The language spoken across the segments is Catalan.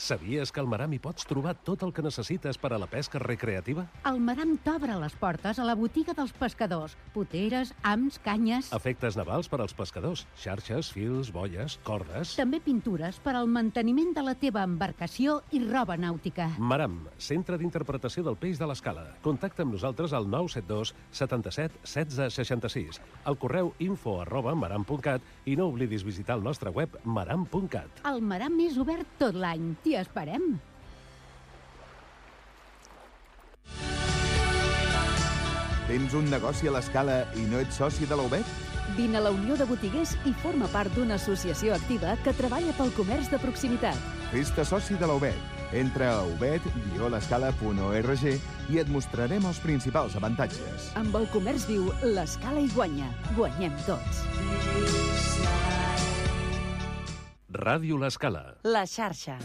Sabies que al Maram hi pots trobar tot el que necessites per a la pesca recreativa? El Maram t'obre les portes a la botiga dels pescadors. Poteres, hams, canyes... Efectes navals per als pescadors, xarxes, fils, boies, cordes... També pintures per al manteniment de la teva embarcació i roba nàutica. Maram, centre d'interpretació del peix de l'Escala. Contacta amb nosaltres al 972 77 16 66, al correu info@maram.cat i no oblidis visitar el nostre web maram.cat. El Maram és obert tot l'any. T'hi esperem. Tens un negoci a l'Escala i no ets soci de la UBET? Vine a la Unió de Botiguers i forma part d'una associació activa que treballa pel comerç de proximitat. Fes-te soci de la UBET. Entra a ubet-l'escala.org i et mostrarem els principals avantatges. Amb el comerç viu, l'Escala hi guanya. Guanyem tots. Ràdio l'Escala. La xarxa.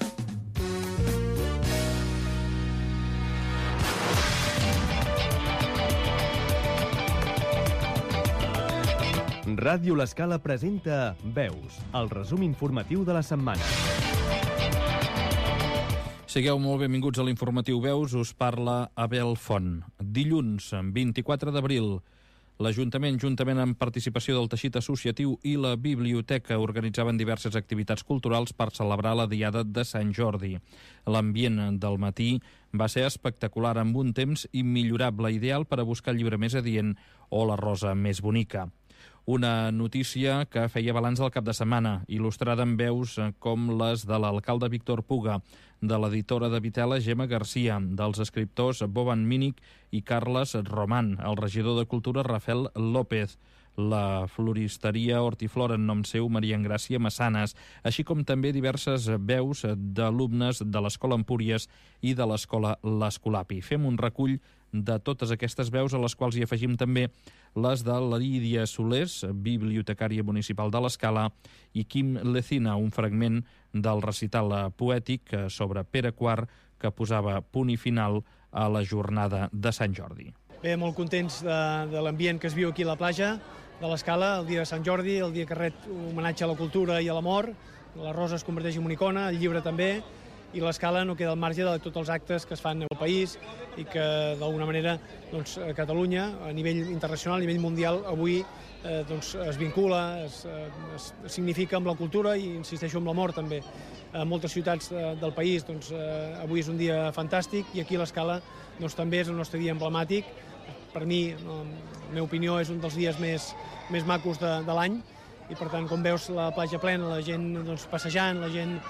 Ràdio l'Escala presenta Veus, el resum informatiu de la setmana. Sigueu molt benvinguts a l'informatiu Veus, us parla Abel Font. Dilluns, 24 d'abril, l'Ajuntament, juntament amb participació del teixit associatiu i la biblioteca, organitzaven diverses activitats culturals per celebrar la Diada de Sant Jordi. L'ambient del matí va ser espectacular, amb un temps immillorable, ideal per a buscar el llibre més adient o la rosa més bonica. Una notícia que feia balanç del cap de setmana, il·lustrada amb veus com les de l'alcalde Víctor Puga, de l'editora de Vitela Gemma Garcia, dels escriptors Boban Mínic i Carles Román, el regidor de Cultura Rafael López, la floristeria Hortiflora en nom seu Maria Engràcia Massanes, així com també diverses veus d'alumnes de l'Escola Empúries i de l'Escola l'Escolapi. Fem un recull de totes aquestes veus, a les quals hi afegim també les de Lídia Solés, bibliotecària municipal de l'Escala, i Quim Lecina, un fragment del recital poètic sobre Pere IV que posava punt i final a la jornada de Sant Jordi. Bé, molt contents de l'ambient que es viu aquí a la platja de l'Escala, el dia de Sant Jordi, el dia que ret homenatge a la cultura i a l'amor. La rosa es converteix en una icona, el llibre també, i l'Escala no queda al marge de tots els actes que es fan al país i que d'alguna manera doncs, a Catalunya, a nivell internacional, a nivell mundial, avui doncs, es vincula, es significa amb la cultura i, insisteixo, amb l'amor també. A moltes ciutats del país doncs, avui és un dia fantàstic i aquí a l'Escala doncs, també és el nostre dia emblemàtic. Per mi, en la meva opinió, és un dels dies més macos de l'any i per tant, com veus la platja plena, la gent doncs, passejant, la gent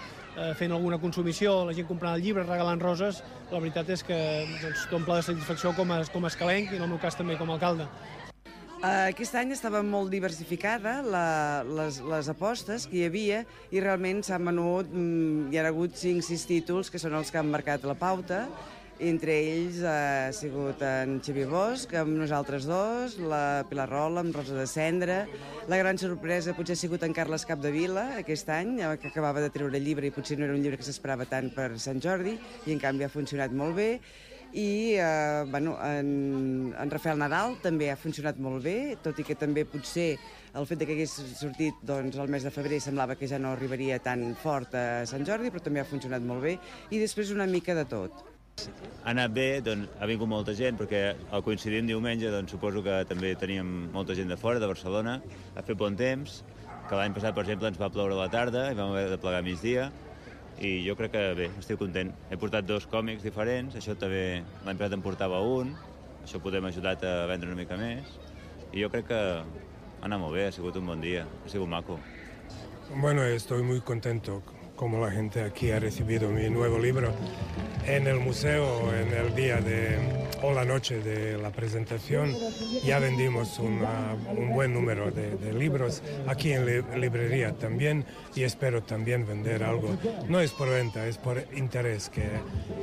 fent alguna consumició, la gent comprant el llibre, regalant roses, la veritat és que doncs, t'omple de satisfacció com a escalenc i en el meu cas també com a alcalde. Aquest any estava molt diversificada les apostes que hi havia i realment s'han venut, hi ha hagut 5-6 títols que són els que han marcat la pauta. Entre ells ha sigut en Xavier Bosch, amb nosaltres dos, la Pilar Rola, amb Rosa de Cendra. La gran sorpresa potser ha sigut en Carles Capdevila, aquest any, que acabava de treure llibre i potser no era un llibre que s'esperava tant per Sant Jordi, i en canvi ha funcionat molt bé. I en Rafael Nadal també ha funcionat molt bé, tot i que també potser el fet que hagués sortit doncs, el mes de febrer semblava que ja no arribaria tan fort a Sant Jordi, però també ha funcionat molt bé. I després una mica de tot. Ha anat bé, doncs, ha vingut molta gent, perquè al coincidir en diumenge doncs, suposo que també teníem molta gent de fora, de Barcelona, ha fet bon temps, que l'any passat, per exemple, ens va ploure a la tarda i vam haver de plegar a migdia, i jo crec que bé, estic content. He portat 2 còmics diferents, això també l'any passat em portava un, això potser m'ha ajudat a vendre una mica més, i jo crec que ha anat molt bé, ha sigut un bon dia, ha sigut maco. Bueno, estoy muy contento como la gente aquí ha recibido mi nuevo libro. En el museo, en el día o la noche de la presentación, ya vendimos un buen número de libros, aquí en librería también, y espero también vender algo. No es por venta, es por interés que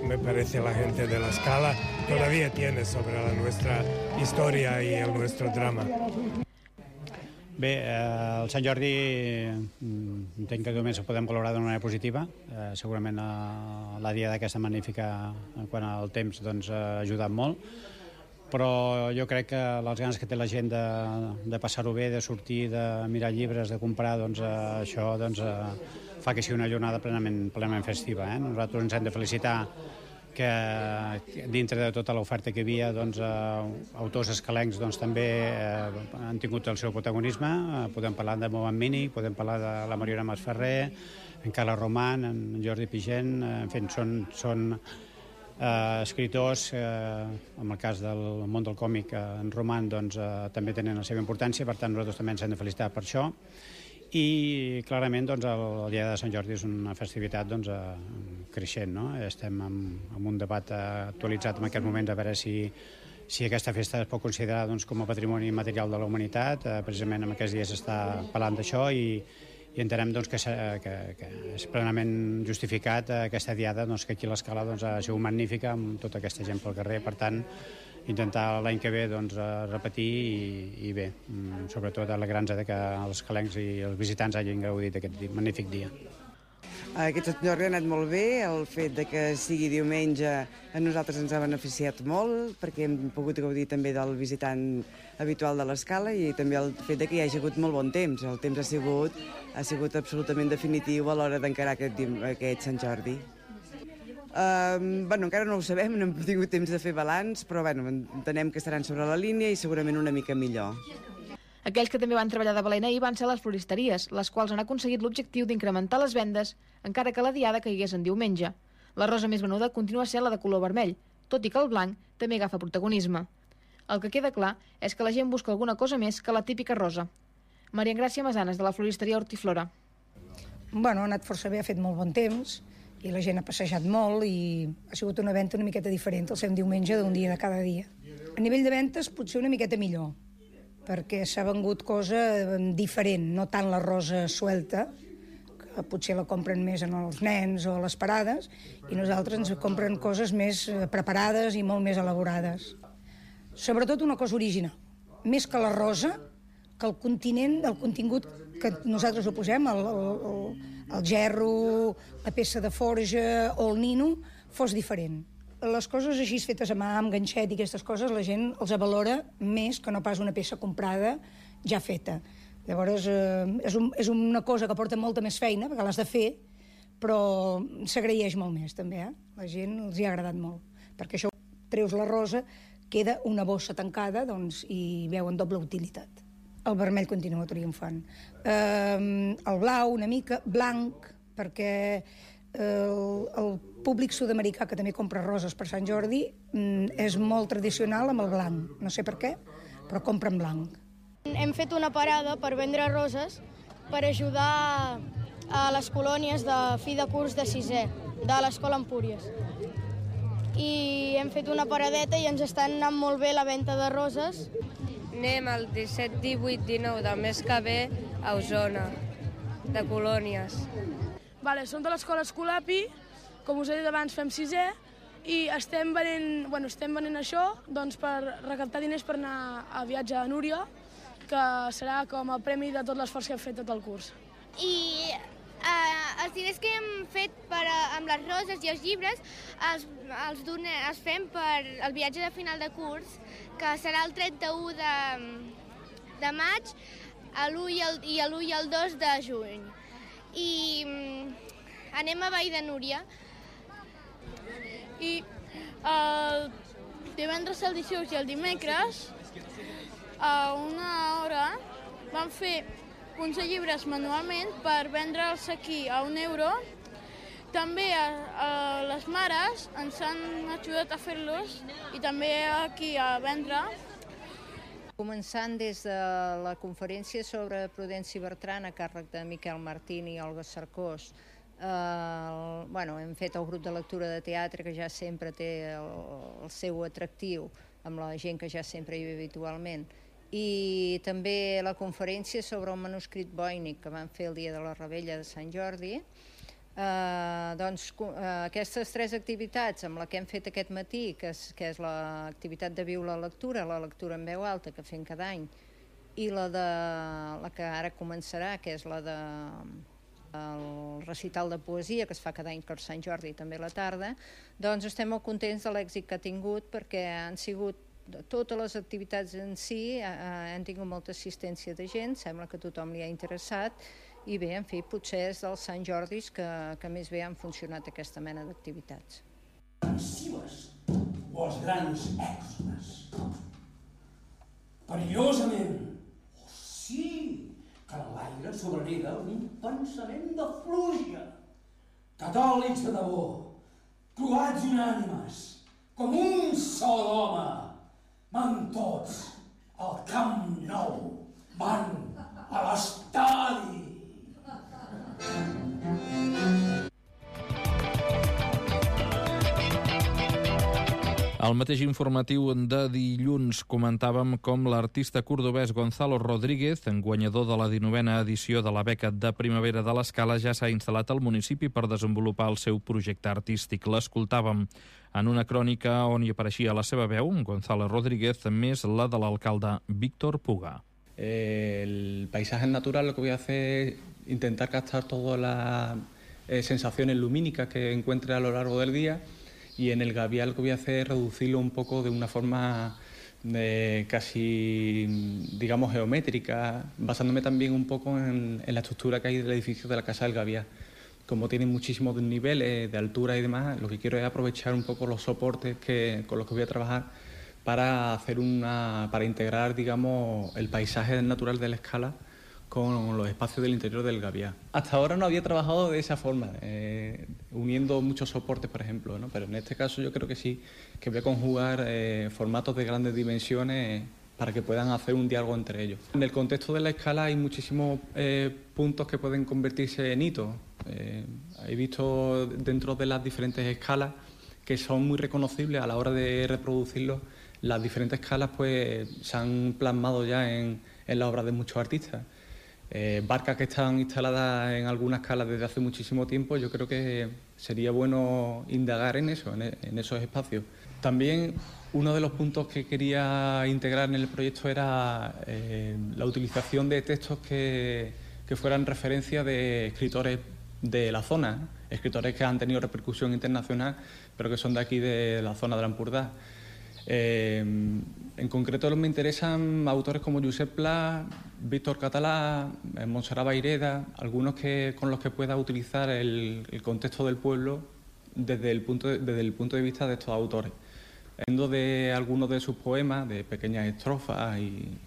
me parece la gente de la Escala todavía tiene sobre nuestra historia y nuestro drama. Bé, el Sant Jordi entenc que només ho podem valorar d'una manera positiva. Segurament la dia d'aquesta magnífica, quan el temps doncs, ha ajudat molt, però jo crec que les ganes que té la gent de passar-ho bé, de sortir, de mirar llibres, de comprar, doncs això fa que sigui una jornada plenament festiva. Nosaltres ens hem de felicitar que dintre de tota l'oferta que hi havia, autors escalencs també han tingut el seu protagonisme. Podem parlar de Mohan Mini, podem parlar de la Mariona Masferrer, en Carles Roman, en Jordi Pigent, en fi, són escriptors, en el cas del món del còmic, en Roman, també tenen la seva importància, per tant nosaltres també ens hem de felicitar per això. I clarament el dia de Sant Jordi és una festivitat creixent, no? Estem en un debat actualitzat en aquests moments a veure si aquesta festa es pot considerar com a patrimoni material de la humanitat. Precisament en aquests dies s'està parlant d'això i entenem que és plenament justificat aquesta diada, que aquí l'Escala ha sigut magnífica amb tota aquesta gent pel carrer. Per tant, intentar l'any que ve repetir i bé, sobretot alegrant-nos que els escalencs i els visitants hagin gaudit d'aquest magnífic dia. Aquest Sant Jordi ha anat molt bé, el fet que sigui diumenge a nosaltres ens ha beneficiat molt perquè hem pogut gaudir també del visitant habitual de l'Escala i també el fet que hi hagi hagut molt bon temps. El temps ha sigut absolutament definitiu a l'hora d'encarar aquest Sant Jordi. Encara no ho sabem, no hem tingut temps de fer balanç, però entenem que estaran sobre la línia i segurament una mica millor. Aquells que també van treballar de valent ahir van ser les floristeries, les quals han aconseguit l'objectiu d'incrementar les vendes, encara que la diada caigués en diumenge. La rosa més venuda continua sent la de color vermell, tot i que el blanc també agafa protagonisme. El que queda clar és que la gent busca alguna cosa més que la típica rosa. Maria Engràcia Masanes, de la floristeria Hortiflora. Ha anat força bé, ha fet molt bon temps, i la gent ha passejat molt i ha sigut una venda una miqueta diferent el seu diumenge d'un dia de cada dia. A nivell de ventes potser una miqueta millor, perquè s'ha vengut cosa diferent, no tant la rosa suelta, que potser la compren més en els nens o a les parades, i nosaltres ens compren coses més preparades i molt més elaborades. Sobretot una cosa original, més que la rosa, que el contingut que nosaltres ho posem, el gerro, la peça de forja o el nino, fos diferent. Les coses així fetes a mà, amb ganxet i aquestes coses, la gent els valora més que no pas una peça comprada ja feta. Llavors, és una cosa que porta molta més feina, perquè l'has de fer, però s'agraeix molt més, també. La gent els hi ha agradat molt, perquè això treus la rosa, queda una bossa tancada i veuen doble utilitat. El vermell continua triomfant. El blau, una mica, blanc, perquè el públic sud-americà que també compra roses per Sant Jordi és molt tradicional amb el blanc. No sé per què, però compra en blanc. Hem fet una parada per vendre roses per ajudar a les colònies de fi de curs de sisè, de l'Escola Empúries. I hem fet una paradeta i ens està anant molt bé la venda de roses. Anem el 17, 18, 19 del mes que ve a Osona, de colònies. Som de l'escola Escolapi, com us he dit abans fem sisè, i estem venent això per recaptar diners per anar a viatge a Núria, que serà com el premi de tot l'esforç que hem fet tot el curs. I els diners que hem fet amb les roses i els llibres els fem per el viatge de final de curs, que serà el 31 de maig, l'1 i el 2 de juny. I anem a Vall de Núria. I el divendres, el dijous i el dimecres, a una hora, vam fer uns llibres manualment per vendre'ls aquí a €1. També les mares ens han ajudat a fer-los i també aquí a vendre. Començant des de la conferència sobre Prudenci Bertran a càrrec de Miquel Martín i Olga Cercós. Hem fet el grup de lectura de teatre, que ja sempre té el seu atractiu amb la gent que ja sempre hi ve habitualment. I també la conferència sobre el manuscrit Voynich, que van fer el dia de la Revetlla de Sant Jordi. Aquestes tres activitats amb la que hem fet aquest matí, que és l'activitat de viure la lectura en veu alta que fem cada any, i la que ara començarà, que és la del recital de poesia que es fa cada any per Sant Jordi i també a la tarda, doncs estem molt contents de l'èxit que ha tingut, perquè han sigut totes les activitats en si han tingut molta assistència de gent, sembla que tothom li ha interessat, i bé, en fi, potser és dels Sant Jordis que més bé han funcionat aquesta mena d'activitats. Massives, els grans èxodes. Perillosament, sí, que en l'aire sobrenega un pensament de pluja. Catòlics de debò, croats i unànimes, com un sol home, van tots al Camp Nou, van a l'estadi. Al mateix informatiu de dilluns comentàvem com l'artista cordobès Gonzalo Rodríguez, guanyador de la 19a edició de la beca de primavera de l'Escala, ja s'ha instal·lat al municipi per desenvolupar el seu projecte artístic. L'escoltàvem en una crònica on hi apareixia la seva veu, Gonzalo Rodríguez, més la de l'alcalde Víctor Puga. El paisaje natural, lo que voy a hacer es intentar captar todas las sensaciones lumínicas que encuentre a lo largo del día. Y en el gavial lo que voy a hacer es reducirlo un poco de una forma casi, digamos, geométrica, basándome también un poco en la estructura que hay del edificio de la Casa del Gavial. Como tiene muchísimos niveles de altura y demás, lo que quiero es aprovechar un poco los soportes con los que voy a trabajar para para integrar, digamos, el paisaje natural de la Escala con los espacios del interior del Gavial. Hasta ahora no había trabajado de esa forma, uniendo muchos soportes, por ejemplo, ¿no? Pero en este caso yo creo que sí, que voy a conjugar formatos de grandes dimensiones para que puedan hacer un diálogo entre ellos. En el contexto de la Escala hay muchísimos puntos que pueden convertirse en hitos. He visto dentro de las diferentes escalas que son muy reconocibles a la hora de reproducirlos. Las diferentes escalas pues se han plasmado ya en la obra de muchos artistas. Barcas que están instaladas en algunas escalas desde hace muchísimo tiempo, yo creo que sería bueno indagar en eso, en esos espacios. También uno de los puntos que quería integrar en el proyecto era la utilización de textos que fueran referencia de escritores de la zona, ¿no? Escritores que han tenido repercusión internacional, pero que son de aquí, de la zona de la Empordà. En concreto me interesan autores como Josep Pla, Víctor Català, Montserrat Vayreda, algunos con los que pueda utilizar el contexto del pueblo desde el punto de vista de estos autores. Hablando de algunos de sus poemas, de pequeñas estrofas y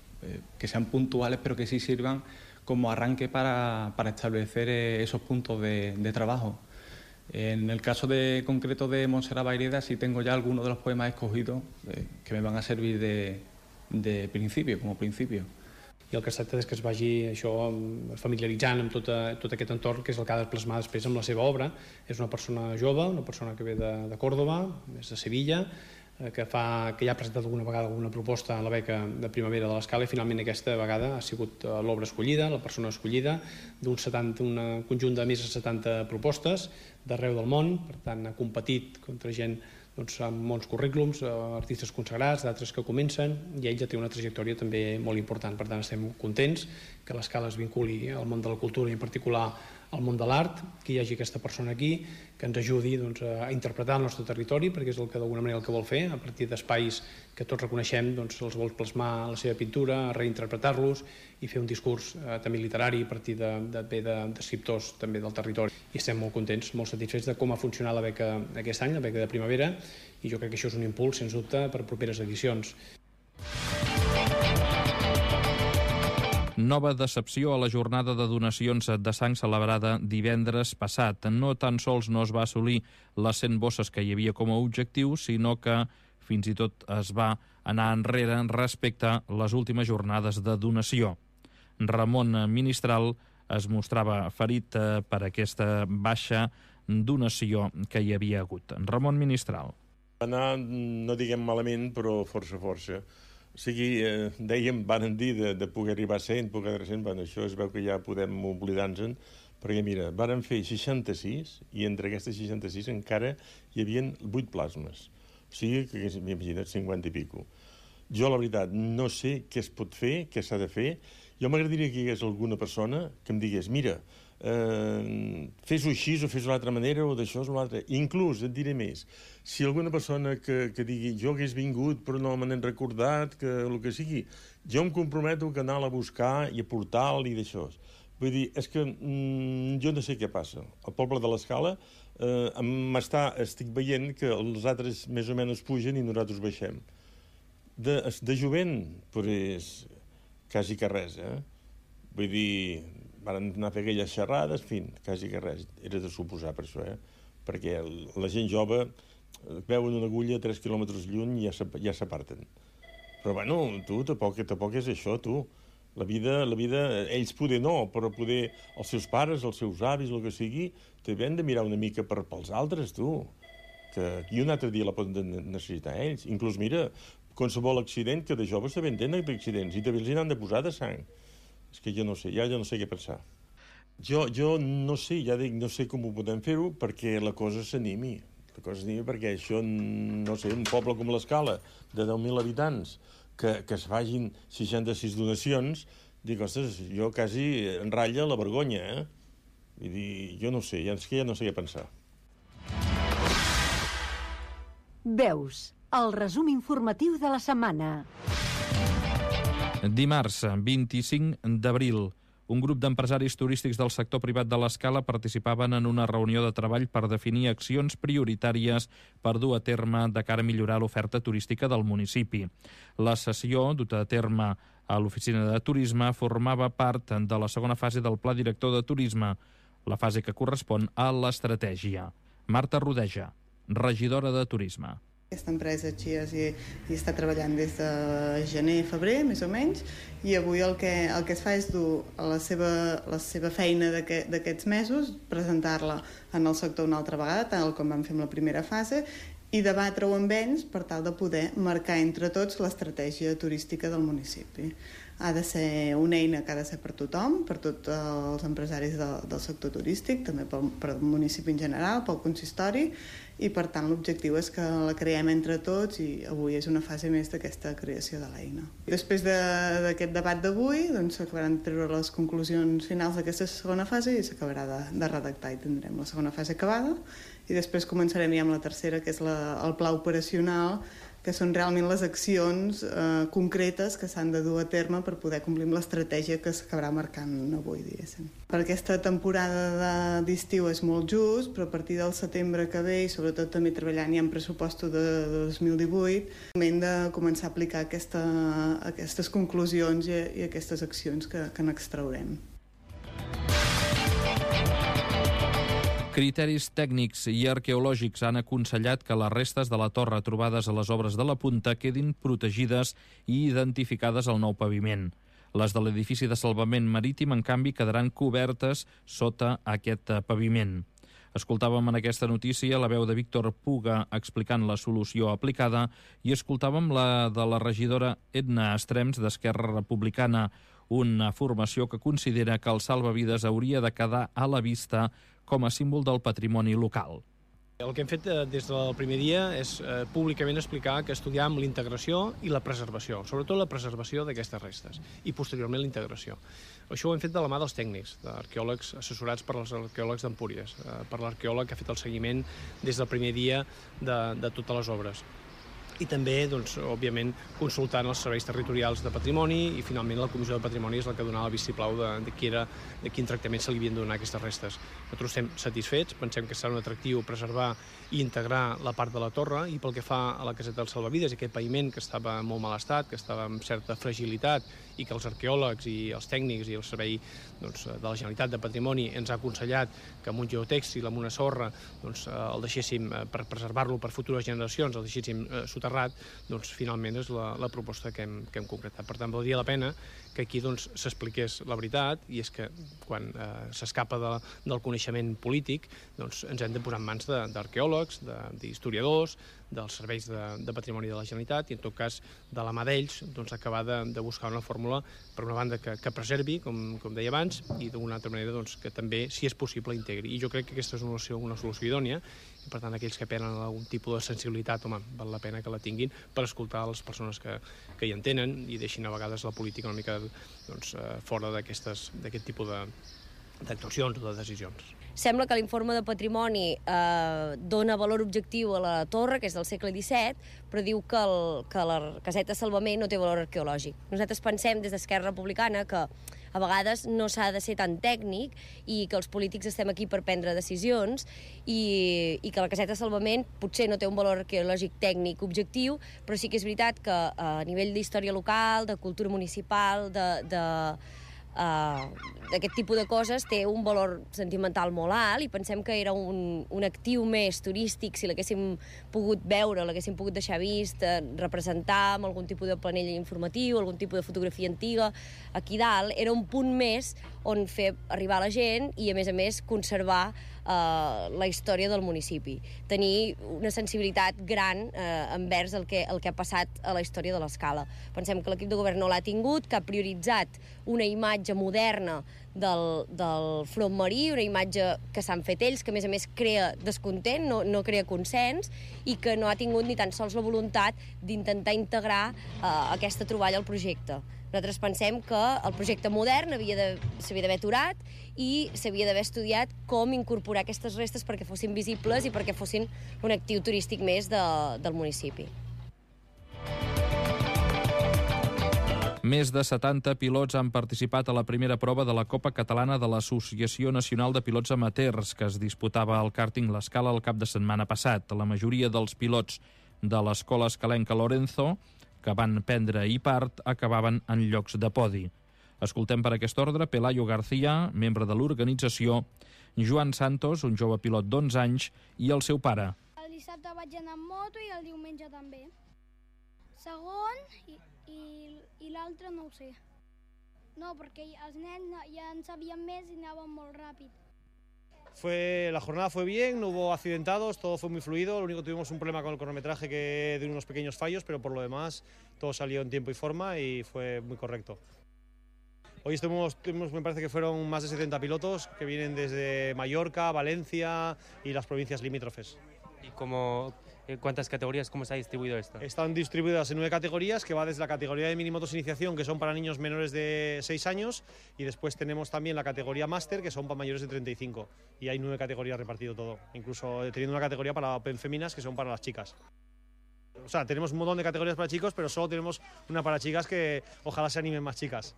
que sean puntuales, pero que sí sirvan como arranque para establecer esos puntos de trabajo. En el caso concreto de Montserrat Vayreda sí tengo ya algunos de los poemas escogidos que me van a servir de principio, como principio. I el que es tracta és que es vagi això familiaritzant amb tot aquest entorn, que és el que ha de plasmar després amb la seva obra. És una persona jove, una persona que ve de Còrdova, és de Sevilla, que ja ha presentat alguna vegada alguna proposta a la beca de primavera de l'Escala i finalment aquesta vegada ha sigut l'obra escollida, la persona escollida, un conjunt de més de 70 propostes d'arreu del món. Per tant, ha competit contra gent amb molts currículums, artistes consagrats, d'altres que comencen, i ell ja té una trajectòria també molt important. Per tant, estem contents que l'Escala es vinculi al món de la cultura i en particular al món de l'art, que hi hagi aquesta persona aquí que ens ajudi a interpretar el nostre territori, perquè és el que d'alguna manera el que vol fer, a partir d'espais que tots reconeixem, els vol plasmar la seva pintura, reinterpretar-los i fer un discurs també literari a partir d'escriptors també del territori. I estem molt contents, molt satisfets de com ha funcionat la beca aquest any, la beca de primavera, i jo crec que això és un impuls, sens dubte, per properes edicions. Nova decepció a la jornada de donacions de sang celebrada divendres passat. No tan sols no es va assolir les 100 bosses que hi havia com a objectiu, sinó que fins i tot es va anar enrere respecte a les últimes jornades de donació. Ramon Ministral es mostrava ferit per aquesta baixa donació que hi havia hagut. Ramon Ministral. Anar, no diguem malament, però força. O sigui, dèiem, van dir de poder arribar a 100, poder arribar a 100, bueno, això es veu que ja podem oblidar-nos-en, perquè mira, varen fer 66 i entre aquestes 66 encara hi havia 8 plasmes. O sigui, que m'imagina't 50 i pico. Jo, la veritat, no sé què es pot fer, què s'ha de fer. Jo m'agradaria que hi hagués alguna persona que em digués, mira, fes-ho així o fes-ho d'altra manera o d'això o l'altre. Inclús, et diré més, si alguna persona que digui jo hagués vingut però no me n'he recordat, que el que sigui, jo em comprometo que anar a buscar i a portar-li d'això. Vull dir, és que jo no sé què passa. Al poble de l'Escala estic veient que els altres més o menys pugen i nosaltres baixem. De jovent, pues, quasi que res, Vull dir, van anar a fer aquelles xerrades, en fi, quasi que res. Era de suposar per això, Perquè la gent jove veuen una agulla a 3 quilòmetres lluny i ja s'aparten. Però, bueno, tu, tampoc és això, tu. La vida, ells poder no, però poder els seus pares, els seus avis, el que sigui, també han de mirar una mica pels altres, tu. I un altre dia la poden necessitar ells. Inclús, mira, qualsevol accident, que de joves també en tenen d'accidents, i també els n'han de posar de sang. És que jo no sé, ja no sé què pensar. Jo no sé, ja dic, no sé com ho podem fer-ho perquè la cosa s'animi. La cosa s'animi perquè això, no sé, un poble com l'Escala, de 10.000 habitants, que es facin 66 donacions, dic, ostres, jo quasi em ratlla la vergonya, Vull dir, jo no sé, és que ja no sé què pensar. Veus, el resum informatiu de la setmana. Dimarts, 25 d'abril, un grup d'empresaris turístics del sector privat de l'Escala participaven en una reunió de treball per definir accions prioritàries per dur a terme de cara a millorar l'oferta turística del municipi. La sessió, duta a terme a l'Oficina de Turisme, formava part de la segona fase del Pla Director de Turisme, la fase que correspon a l'estratègia. Marta Rodeja, regidora de Turisme. Aquesta empresa Chias hi està treballant des de gener, febrer, més o menys, i avui el que es fa és dur la seva feina d'aquests mesos, presentar-la en el sector una altra vegada, tal com vam fer amb la primera fase, i debatre-ho amb ells per tal de poder marcar entre tots l'estratègia turística del municipi. Ha de ser una eina que ha de ser per tothom, per tots els empresaris del sector turístic, també pel municipi en general, pel consistori, i per tant l'objectiu és que la creem entre tots i avui és una fase més d'aquesta creació de l'eina. Després d'aquest debat d'avui s'acabaran de treure les conclusions finals d'aquesta segona fase i s'acabarà de redactar i tindrem la segona fase acabada i després començarem ja amb la tercera, que és el pla operacional, que són realment les accions concretes que s'han de dur a terme per poder complir amb l'estratègia que s'acabarà marcant avui, diguéssim. Per aquesta temporada d'estiu és molt just, però a partir del setembre que ve, i sobretot també treballant ja en pressupostos de 2018, hem de començar a aplicar aquestes conclusions i aquestes accions que n'extraurem. Criteris tècnics i arqueològics han aconsellat que les restes de la torre trobades a les obres de la Punta quedin protegides i identificades al nou paviment. Les de l'edifici de salvament marítim, en canvi, quedaran cobertes sota aquest paviment. Escoltàvem en aquesta notícia la veu de Víctor Puga explicant la solució aplicada i escoltàvem la de la regidora Edna Estrems d'Esquerra Republicana, una formació que considera que el salvavides hauria de quedar a la vista com a símbol del patrimoni local. El que hem fet des del primer dia és públicament explicar que estudiàvem l'integració i la preservació, sobretot la preservació d'aquestes restes i posteriorment la integració. Això ho hem fet de la mà dels tècnics, d'arqueòlegs assessorats per als arqueòlegs d'Empúries, per l'arqueòleg que ha fet el seguiment des del primer dia de totes les obres. I també, òbviament, consultant els serveis territorials de patrimoni i, finalment, la Comissió de Patrimoni és la que donava el vistiplau de quin tractament se li havien de donar aquestes restes. Nosaltres estem satisfets, pensem que serà un atractiu preservar i integrar la part de la torre, i pel que fa a la caseta dels salvavides, aquest paviment que estava en molt mal estat, que estava amb certa fragilitat i que els arqueòlegs i els tècnics i el servei de la Generalitat de Patrimoni ens ha aconsellat que amb un geotèxtil, amb una sorra, el deixéssim per preservar-lo per futures generacions, el deixéssim soterrat, finalment és la proposta que hem concretat. Per tant, valdria la pena que aquí s'expliqués la veritat, i és que quan s'escapa del coneixement polític ens hem de posar en mans d'arqueòlegs, d'historiadors, dels serveis de patrimoni de la Generalitat, i en tot cas de la mà d'ells acabar de buscar una fórmula, per una banda, que preservi, com deia abans, i d'una altra manera que també, si és possible, integri. I jo crec que aquesta és una solució idònia, i per tant aquells que tenen algun tipus de sensibilitat, val la pena que la tinguin per escoltar les persones que hi entenen i deixin a vegades la política una mica fora d'aquest tipus d'actuacions o de decisions. Sembla que l'informe de patrimoni dona valor objectiu a la torre, que és del segle XVII, però diu que la caseta de salvament no té valor arqueològic. Nosaltres pensem des d'Esquerra Republicana que a vegades no s'ha de ser tan tècnic i que els polítics estem aquí per prendre decisions i que la caseta de salvament potser no té un valor arqueològic tècnic objectiu, però sí que és veritat que a nivell d'història local, de cultura municipal, d'aquest tipus de coses té un valor sentimental molt alt i pensem que era un actiu més turístic si l'haguéssim pogut veure, l'haguéssim pogut deixar vist, representar amb algun tipus de planell informatiu, algun tipus de fotografia antiga aquí dalt. Era un punt més on fer arribar la gent i a més conservar la història del municipi. Tenir una sensibilitat gran envers el que ha passat a la història de l'Escala. Pensem que l'equip de govern no l'ha tingut, que ha prioritzat una imatge moderna del front marí, una imatge que s'han fet ells, que a més crea descontent, no crea consens, i que no ha tingut ni tan sols la voluntat d'intentar integrar aquesta troballa al projecte. Nosaltres pensem que el projecte modern s'havia d'haver aturat i s'havia d'haver estudiat com incorporar aquestes restes perquè fossin visibles i perquè fossin un actiu turístic més del municipi. Més de 70 pilots han participat a la primera prova de la Copa Catalana de l'Associació Nacional de Pilots Amateurs, que es disputava al càrting l'Escala el cap de setmana passat. La majoria dels pilots de l'escola escalenca Lorenzo, que van prendre-hi part, acabaven en llocs de podi. Escoltem per aquest ordre Pelayo García, membre de l'organització, Joan Santos, un jove pilot d'11 anys, i el seu pare. El dissabte vaig anar amb moto i el diumenge també. Segon i l'altre no ho sé. No, perquè els nens ja en sabien més i anaven molt ràpid. La jornada fue bien, no hubo accidentados, todo fue muy fluido. Lo único que tuvimos un problema con el cronometraje que de unos pequeños fallos, pero por lo demás todo salió en tiempo y forma y fue muy correcto. Hoy me parece que fueron más de 70 pilotos que vienen desde Mallorca, Valencia y las provincias limítrofes. ¿Y cuántas categorías, cómo está distribuido esto? Están distribuidas en 9 categorías, que va desde la categoría de minimotos iniciación, que son para niños menores de 6 años, y después tenemos también la categoría máster, que son para mayores de 35. Y hay 9 categorías repartido todo, incluso teniendo una categoría para Open Féminas, que son para las chicas. O sea, tenemos un montón de categorías para chicos, pero solo tenemos una para chicas, que ojalá se animen más chicas.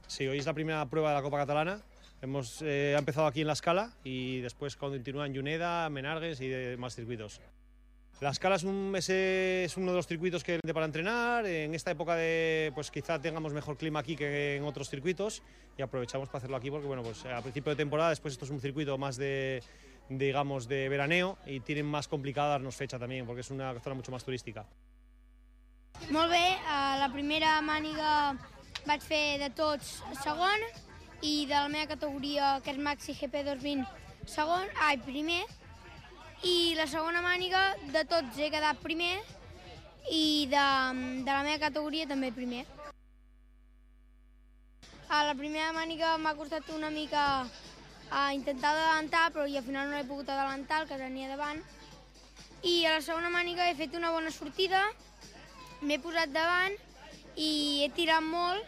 Sí, hoy es la primera prueba de la Copa Catalana. Ha empezado aquí en La Escala y después continúa en Juneda, Menargues y demás circuitos. La Escala es uno de los circuitos que para entrenar. En esta época pues quizá tengamos mejor clima aquí que en otros circuitos y aprovechamos para hacerlo aquí porque pues a principio de temporada, después esto es un circuito más de veraneo y tienen más complicado darnos fecha también porque es una zona mucho más turística. Molt bé, a la primera màniga vaig fer de tots segon i de la meva categoria, que és Maxi GP 2020, primer. I la segona màniga de tots he quedat primer i de la meva categoria també primer. A la primera màniga m'ha costat una mica intentar adelantar, però al final no he pogut adelantar, el que tenia davant. I a la segona màniga he fet una bona sortida, m'he posat davant i he tirat molt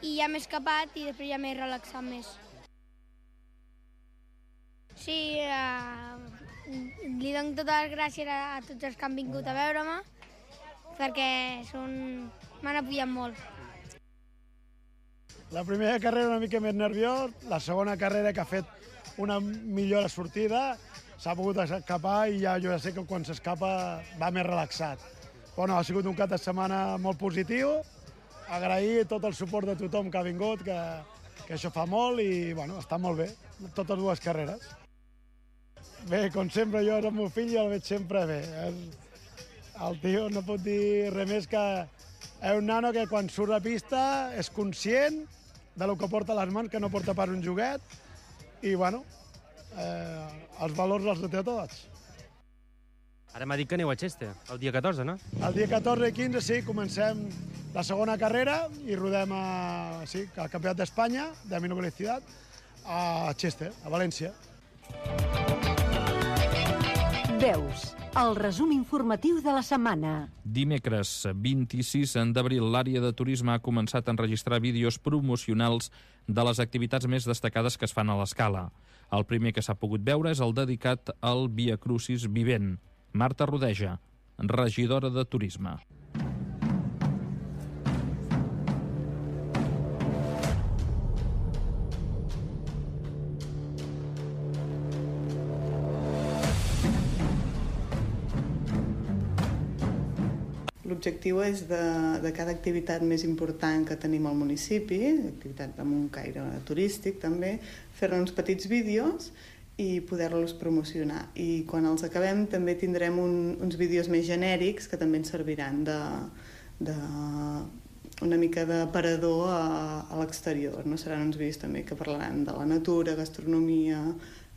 i ja m'he escapat i després ja m'he relaxat més. Sí, li dono totes les gràcies a tots els que han vingut a veure-me perquè m'han apoyat molt. La primera carrera una mica més nerviós, la segona carrera que ha fet una millora sortida, s'ha pogut escapar i jo ja sé que quan s'escapa va més relaxat. Però no, ha sigut un cap de setmana molt positiu, agrair tot el suport de tothom que ha vingut, que això fa molt i està molt bé, totes dues carreres. Bé, com sempre, jo era el meu fill i el veig sempre bé. El tio no pot dir res més que és un nano que quan surt a pista és conscient del que porta a les mans, que no porta pas un joguet, i els valors els té tots. Ara m'ha dit que aneu a Chester, el dia 14, no? El dia 14 i 15, sí, comencem la segona carrera i rodem al Campionat d'Espanya de menor velocitat a Chester, a València. Veus. el resum informatiu de la setmana. Dimecres 26 d'abril, l'àrea de turisme ha començat a enregistrar vídeos promocionals de les activitats més destacades que es fan a l'Escala. El primer que s'ha pogut veure és el dedicat al Via Crucis vivent. Marta Rodeja, regidora de Turisme. L'objectiu és de cada activitat més important que tenim al municipi, activitat amb un caire turístic també, fer-ne uns petits vídeos i poder-los promocionar. I quan els acabem també tindrem uns vídeos més genèrics que també ens serviran una mica d'aparador a l'exterior. No? Seran uns vídeos també que parlaran de la natura, gastronomia,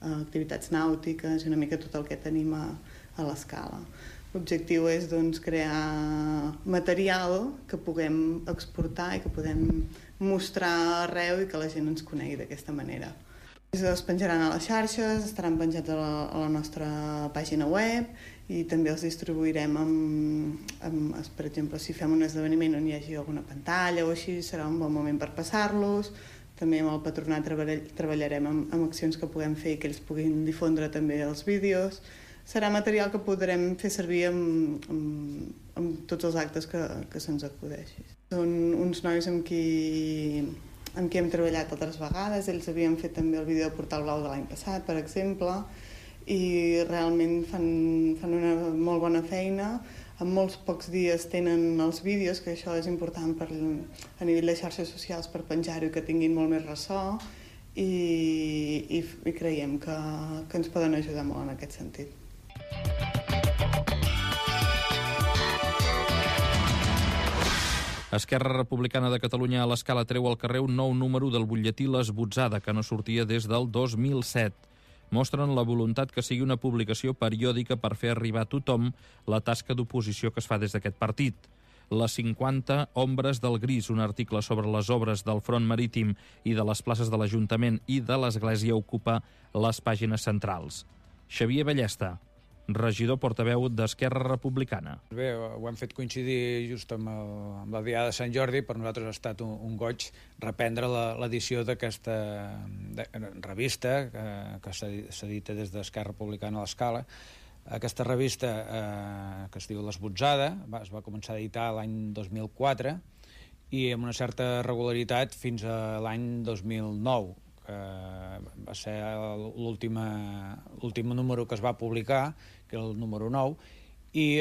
activitats nàutiques i una mica tot el que tenim a l'Escala. L'objectiu és crear material que puguem exportar i que podem mostrar arreu i que la gent ens conegui d'aquesta manera. Es penjaran a les xarxes, estaran penjats a la nostra pàgina web i també els distribuirem per exemple, si fem un esdeveniment on hi hagi alguna pantalla o així, serà un bon moment per passar-los. També amb el patronat treballarem amb accions que puguem fer i que ells puguin difondre també els vídeos. Serà material que podrem fer servir amb tots els actes que se'ns acudeixi. Són uns nois amb qui hem treballat altres vegades. Ells havien fet també el vídeo de Portal Blau de l'any passat, per exemple, i realment fan una molt bona feina. En molts pocs dies tenen els vídeos, que això és important a nivell de xarxes socials per penjar-ho i que tinguin molt més ressò, i creiem que ens poden ajudar molt en aquest sentit. Esquerra Republicana de Catalunya a l'Escala treu al carrer un nou número del butlletí L'Esbotzada, que no sortia des del 2007. Mostren la voluntat que sigui una publicació periòdica per fer arribar a tothom la tasca d'oposició que es fa des d'aquest partit. Les 50 ombres del gris, un article sobre les obres del front marítim i de les places de l'Ajuntament i de l'Església, ocupa les pàgines centrals. Xavier Ballesta, regidor portaveu d'Esquerra Republicana. Bé, ho hem fet coincidir just amb la Diada de Sant Jordi. Per nosaltres ha estat un goig reprendre l'edició d'aquesta revista que s'edita des d'Esquerra Republicana a l'Escala. Aquesta revista, que es diu L'Esbotzada, es va començar a editar l'any 2004 i amb una certa regularitat fins a l'any 2009. Va ser l'últim número que es va publicar, que era el número 9, i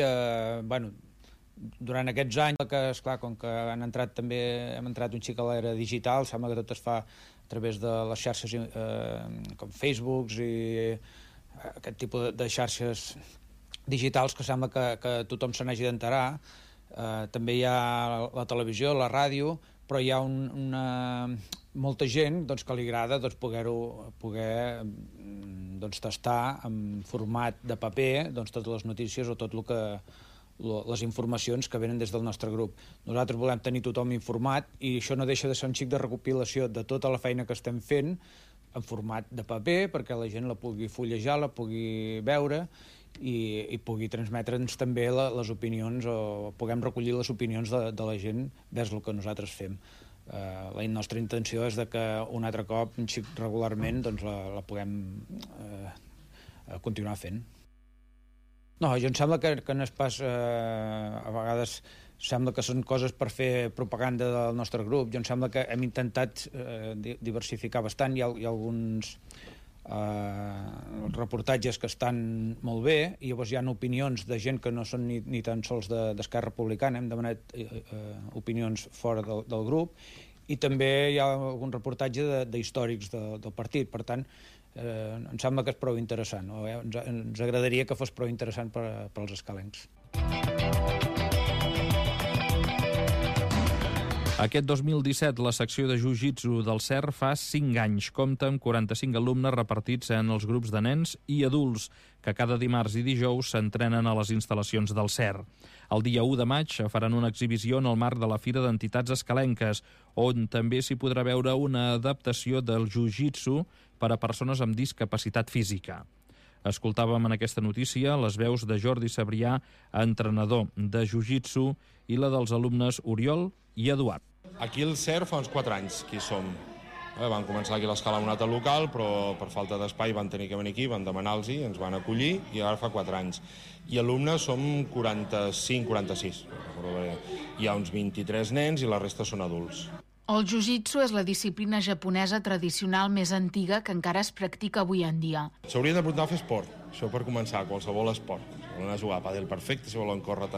durant aquests anys, esclar, com que hem entrat un xic a l'era digital, sembla que tot es fa a través de les xarxes com Facebook i aquest tipus de xarxes digitals que sembla que tothom se n'hagi d'enterar. També hi ha la televisió, la ràdio, però hi ha molta gent que li agrada poder tastar en format de paper totes les notícies o tot les informacions que venen des del nostre grup. Nosaltres volem tenir tothom informat i això no deixa de ser un xic de recopilació de tota la feina que estem fent en format de paper perquè la gent la pugui fullejar, la pugui veure i pugui transmetre'ns també les opinions o puguem recollir les opinions de la gent vers el que nosaltres fem. La nostra intenció és que un altre cop, un xic regularment, la puguem continuar fent. No, jo em sembla que no és pas... A vegades sembla que són coses per fer propaganda del nostre grup. Jo em sembla que hem intentat diversificar bastant. Hi ha alguns reportatges que estan molt bé i llavors hi ha opinions de gent que no són ni tan sols d'Esquerra Republicana. Hem demanat opinions fora del grup i també hi ha algun reportatge d'històrics del partit. Per tant, em sembla que és prou interessant. Ens agradaria que fos prou interessant per als escalencs. Aquest 2017, la secció de Jiu-Jitsu del CER fa 5 anys. Compta amb 45 alumnes repartits en els grups de nens i adults, que cada dimarts i dijous s'entrenen a les instal·lacions del CER. El dia 1 de maig faran una exhibició en el marc de la Fira d'Entitats Escalenques, on també s'hi podrà veure una adaptació del Jiu-Jitsu per a persones amb discapacitat física. Escoltàvem en aquesta notícia les veus de Jordi Sabrià, entrenador de jiu-jitsu, i la dels alumnes Oriol i Eduard. Aquí el CER fa uns 4 anys que hi som. Van començar aquí a l'escala un altre local, però per falta d'espai van tenir que venir aquí, van demanar-los-hi, ens van acollir i ara fa 4 anys. I alumnes som 45-46. Hi ha uns 23 nens i la resta són adults. El jiu-jitsu és la disciplina japonesa tradicional més antiga que encara es practica avui en dia. S'haurien d'apuntar a fer esport, això per començar, qualsevol esport. Si volen jugar a pàdel perfecte, si volen córrer